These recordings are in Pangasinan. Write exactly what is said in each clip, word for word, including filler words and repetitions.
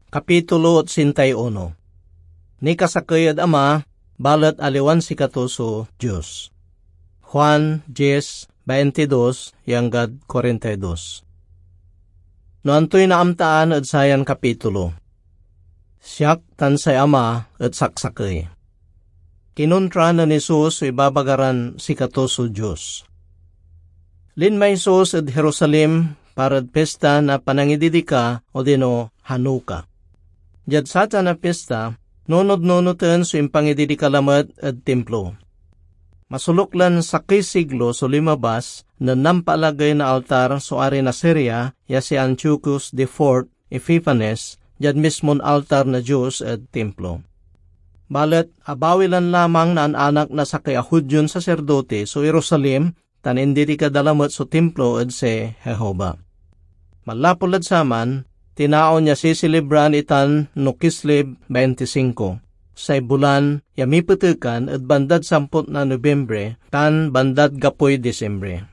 Kapitulo otsenta y uno. Nikasakey ed Ama, balet aliwan sikato so Dios. Juan diez, baintidos ya anggad kuarenta y dos. No antoy naamtaan ed sayan kapitulo? Siak tan say Ama et saksakey. Kinontra nen Jesus so ibabaga ran sikato so Dios. Linmay Jesus ed Jerusalem parad pista na Panangididika, odino Hanukkah. Diad satan a pista, nunotnunoten so impangididika lamet ed Timplo. Masoluk lan sakey siglo so linmabas nen nampaalagey na altar so ari na Siria ya si Antiochus the Fourth Epiphanes diad mismon altar na Dios ed Timplo. Balet abawi lan lamang naan-anak na sakey a Judion saserdote so Jerusalem tan indidika da lamet so Timplo ed si Jehovah. Manlapud lad saman, tinaon ya siselebran itan no Kislev bainti singko, say bulan ya mipetekan ed bandad samput na Nobiembre tan bandad gapoy Disembre.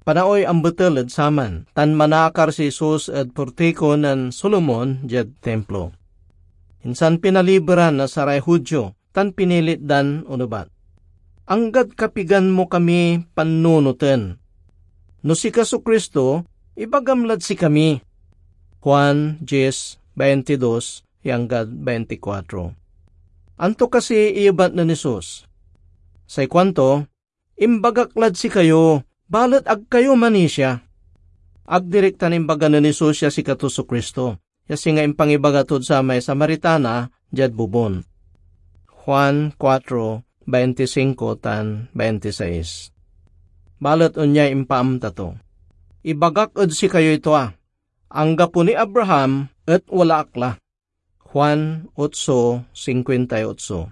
Panaoy ambetel ed saman, tan manaakar si Jesus ed portiko nen Solomon diad Timplo. Insan pinaliberan na saray Judio tan pinilit dan onebat, "Anggad kapigan mo kami pannunoten? No sika so Cristo, ibagam lad sikami." Juan diez, baintidos ya anggad baintikuatro. Anto kasi iyebat nen Jesus? Say kuanto, "Imbagak lad sikayo, balet ag kayo manisia." Ag direktan imbaga nen Jesus ya sikato so Cristo, ya singa impangibaga tod samay Samaritana diad bobon. Juan kuatro, bainti singko tan bainti sais. Balet onyay impaamta to, "Ibagak ed sikayoy tua, anggapo ni Abraham et wala ak la." Juan otso cincuenta y ocho.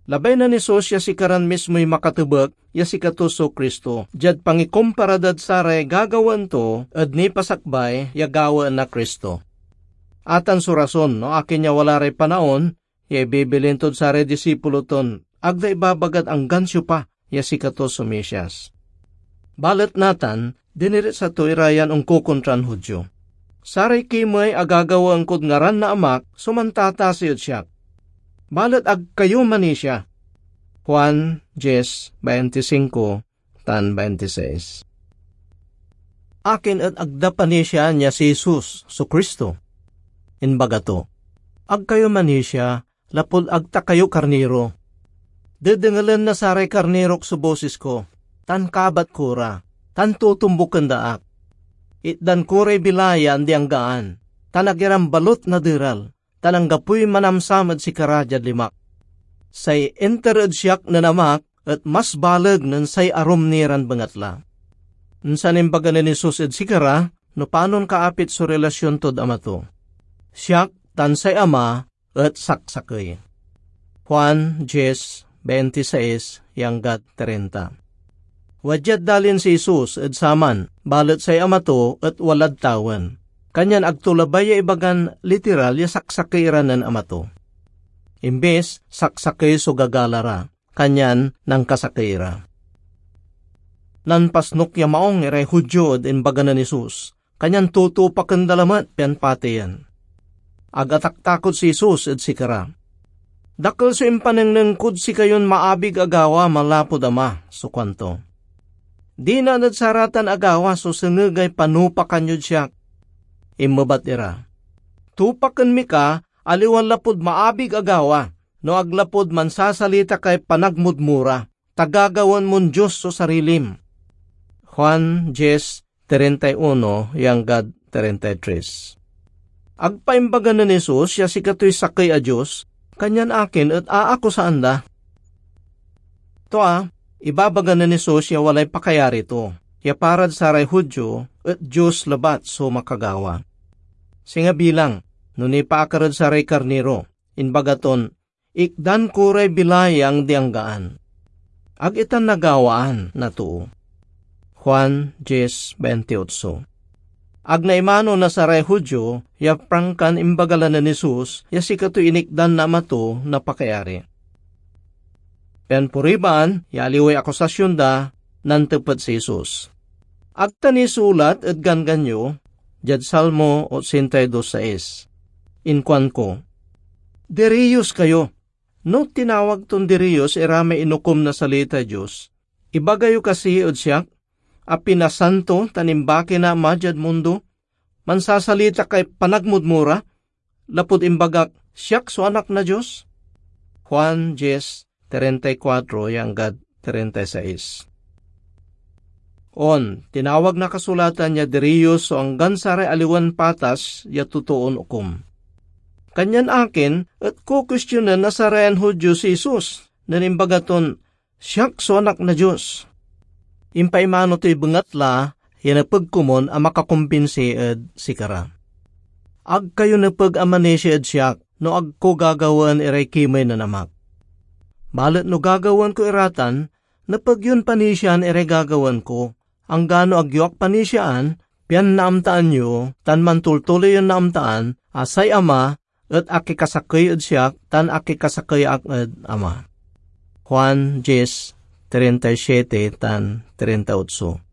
Labay nen Jesus ya sikaran mismoy makatebek ya sikato so Cristo diad pangikumpara dad saray gagawaen to ed nipasakbay ya gawaen na Cristo. Atan so rason no akin ya wala ray panaon ya ibibilin tod saray disipulo ton ag da ibabagad anggan siopa ya sikato so Mesias. Balet natan, diniritsa to ira yan onkokontran Judio. "Saray kimey a gagawaen kod ngaran na Amak so mantatasi ed siak. Balet ag kayo manisia." Juan diez, bainti singko tan bainti sais. Akin et ag da panisiaan ya si Jesus so Cristo? Imbaga to, "Ag kayo manisia, lapud ag ta kayo karniro. Dedengelen na saray karnirok so bosis ko, tan kabat ko ra, tan totombuken da ak. Itdan ko ray bilay ya andi-anggaan, tan ag iran balut naderal, tan anggapoy manamsam ed sikara diad limak. Say inter ed siak nen Amak et mas baleg nen say arum ni ran bengatla." Insan imbaga nen Jesus ed sikara no panon kaapit so relasyon tod Ama to, "Siak tan say Ama et saksakey." Juan diez, bainti sais ya anggad trinta. Wadiad dalin si Jesus ed saman, balet say Ama to et walad tawen, kanyan ag to labay ya ibagan literal ya saksakey ira nen Ama to. Imbis, saksakey so gagala ra, kanyan nankasakey ira. Nanpasnok ya maong iray Judio ed imbaga nen Jesus, kanyan tutupaken da lamet pian pateyen. Ag ataktakot si Jesus ed sikara. "Dakel so impanengneng kod sikayon maabig a gawa manlapud Ama," so kuanto. "Dinan ed saratan a gawa so sengegay panupakan yod siak." Inmebat ira, "Tupaken mi ka, aliwan lapud maabig a gawa, no ag lapud mansasalita kay panagmudmura, ta gagawaen mon Dios so sarilim." Juan diez, treinta y uno ya anggad treinta y tres. Ag pa imbaga nen Jesus ya sikatoy sakey a Dios, kanyan akin et aakusaan da? Tua, ibabaga nen Jesus ya walay pakayari to, ya parad saray Judio et Dios labat so makagawa. Singa bilang, no nipaakar ed saray karniro, imbaga ton, "Ikdan ko ray bilay ya andi-anggaan." Ag itan nagawaan na too. Juan diez, baintiotso. Ag naimano na saray Judio ya prangkan imbaga la nen Jesus ya sikatoy inikdan na Ama to na pakayari. Pian puriban ya aliway akusasyon da, nantepet si Jesus, "Ag ta nisulat ed Ganggan yo, diad Salmo ochenta y dos seis. Inkuanko, "Diriyos kayo." No tinawag ton diriyos iramay inukom na salitay Dios, ibaga yo kasi ed siak a pinasanto tan imbaki na Ama diad mundo? Mansasalita kay panagmudmura, lapud imbagak, "Siak so Anak na Dios"? Juan diez, treinta y cuatro ya anggad treinta y seis. On, tinawag na kasulatan ya diriyos so anggan saray aliwan patas ya totoon okom. Kanyan akin et kokuestionen na sarayan Judio si Jesus nen imbaga ton, "Siak so Anak na Dios"? Impaimano toy bengatla ya nepeg komun a makakumbinsi ed sikara. Ag kayo nepeg a manisia ed siak no ag ko gagawaen iray kimey nen Amak. Balet no gagawaen ko iratan, nepeg yon panisiaan iray gagawaen ko, anggano ag yo ak panisiaan, pian naamtaan yo tan mantultuloy yon naamtaan a say Ama et akikasakey ed siak tan akikasakey ak ed Ama. Juan diez, treinta y siete tan treinta y ocho.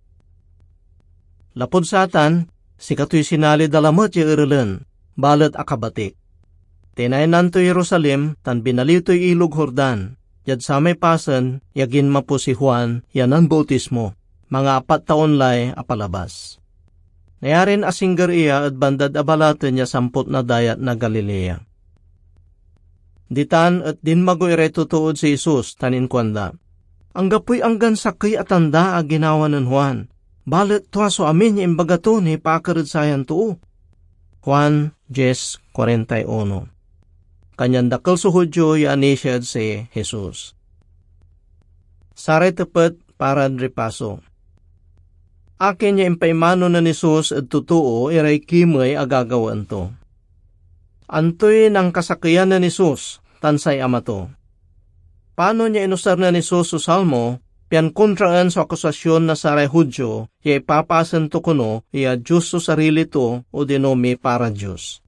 Lapud satan, sikatoy sinali da lamet ya erelen, balet akabatik. Tinaynan toy Jerusalem tan binaliw toy Ilog Jordan, diad samay pasen ya ginmapo si Juan ya nanbautismo, mangaapat taon lay apalabas. Nayarin asingger iya ed bandad abalaten ya sampot na Dayat na Galilea. Ditan et dinmago iray totood si Jesus tan inkuanda, "Anggapoy anggan sakey a tanda a ginawa nen Juan, balet tua so amin ya imbaga to nipaakar ed sayan too." Juan diez cuarenta y uno. Kanyan dakel so Judio ya anisia ed si Jesus. Saray tepet paran ripaso. Akin ya impaimano nen Jesus ed totoo iray kimey a gagawaen to? Antoy nankasakeyan nen Jesus tan say Ama to? Panon ya inusar nen Jesus so Salmo pian kontraen so akusasyon na saray Judio ya ipapasen to kono ya Dios so sarili to odino miparad Dios?